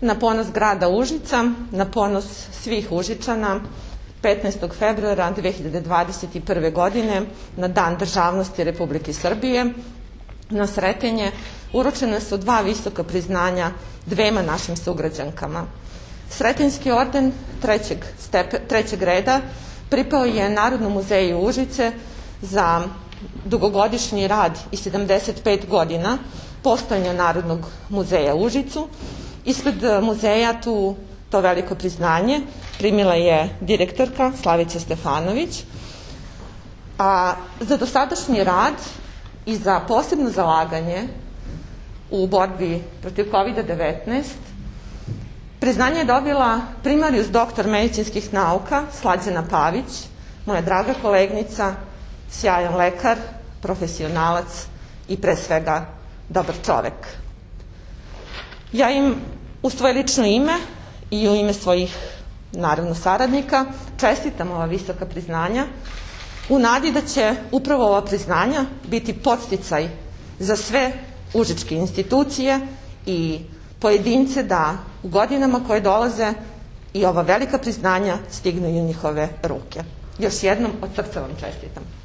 Na ponos grada Užica, na ponos svih Užičana, 15. februara 2021. godine, na Dan državnosti Republike Srbije, na Sretenje, uručene su 2 visoka priznanja dvema našim sugrađankama. Sretenjski orden 3. reda pripao je Narodnom muzeju Užice za dugogodišnji rad i 75 godina postojanja Narodnog muzeja Užicu. Ispred muzeja to veliko priznanje primila je direktorka Slavica Stefanović, a za dosadašnji rad i za posebno zalaganje u borbi protiv COVID-19 priznanje je dobila primarijus doktor medicinskih nauka Slađana Pavić, moja draga kolegnica, sjajan lekar, profesionalac i pre svega dobar čovek. Ja im u svoje lično ime i u ime svojih, naravno, saradnika čestitam ova visoka priznanja u nadi da će upravo ova priznanja biti podsticaj za sve užičke institucije i pojedince da u godinama koje dolaze i ova velika priznanja stignu i u njihove ruke. Još jednom od srca vam čestitam.